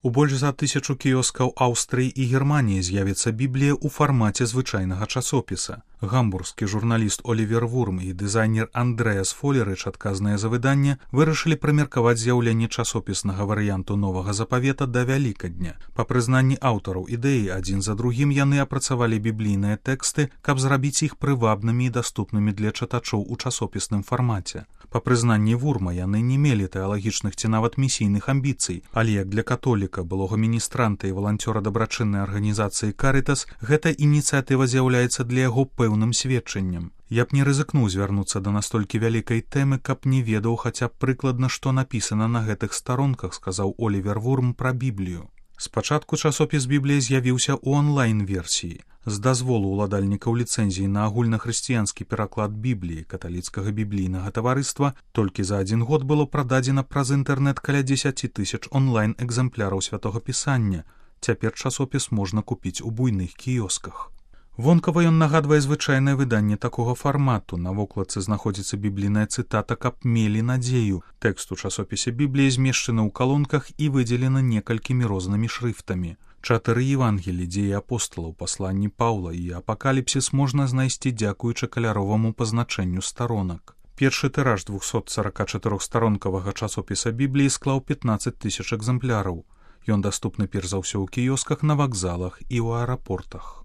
У больш за 1000 кіёскаў Аўстрыі і Германіі з'явіцца Біблія ў фармаце звычайнага часопіса. Гамбургскі журналіст Олівер Вурм і дызайнер Андрэас Фолерыч, адказныя за выданне, вырашылі прымеркаваць з'яўленне часопіснага варыянту новага запавета да Вялікадня. Па прызнанні аўтараў ідэі, адзін за другім яны апрацавалі біблійныя тэксты, каб зрабіць іх прывабнымі і даступнымі для чытачоў у часопісным фармаце. Па прызнанні Вурма, яны не мелі тэалагічных ці нават місійных амбіцый, але як для католіка, былога міністранта і валанцёра дабрачыннай арганізацыі «Карытас», гэта ініцыятыва з'яўляецца для яго пэўным сведчаннем. Я б не рызыкнуў звярнуцца да настолькі вялікай тэмы, каб не ведаў хаця б прыкладна, што напісана на гэтых старонках, сказаў Олівер Вурм пра Біблію. Спачатку часопіс Біблія з'явіўся ў онлайн-версіі. З дазволу ўладальнікаў ліцэнзіі на агульнахрысціянскі пераклад Бібліі каталіцкага біблійнага таварыства толькі за 1 год было прададзена праз інтэрнэт каля 10 000 онлайн-экзэмпляраў святога пісання. Цяпер часопіс можна купіць у буйных кіёсках. Вонкава ён нагадвае звычайнае выданне такога фармату. На вокладцы знаходзіцца біблійная цытата «Каб мелі надзею». Тэкст у часопісе Бібліі змешчаны ў калонках і выдзелены некалькімі рознымі шрыфтамі. 4 Евангелі, дзеі апосталаў, пасланні Паўла і апакаліпсіс можна знайсці дзякуючы каляроваму пазначэнню старонак. Першы тыраж 244-старонкавага часопіса Бібліі склаў 15 000 экзэмпляраў. Ён даступны перш за ўсё ў кіёсках, на вакзалах і ў аэрапортах.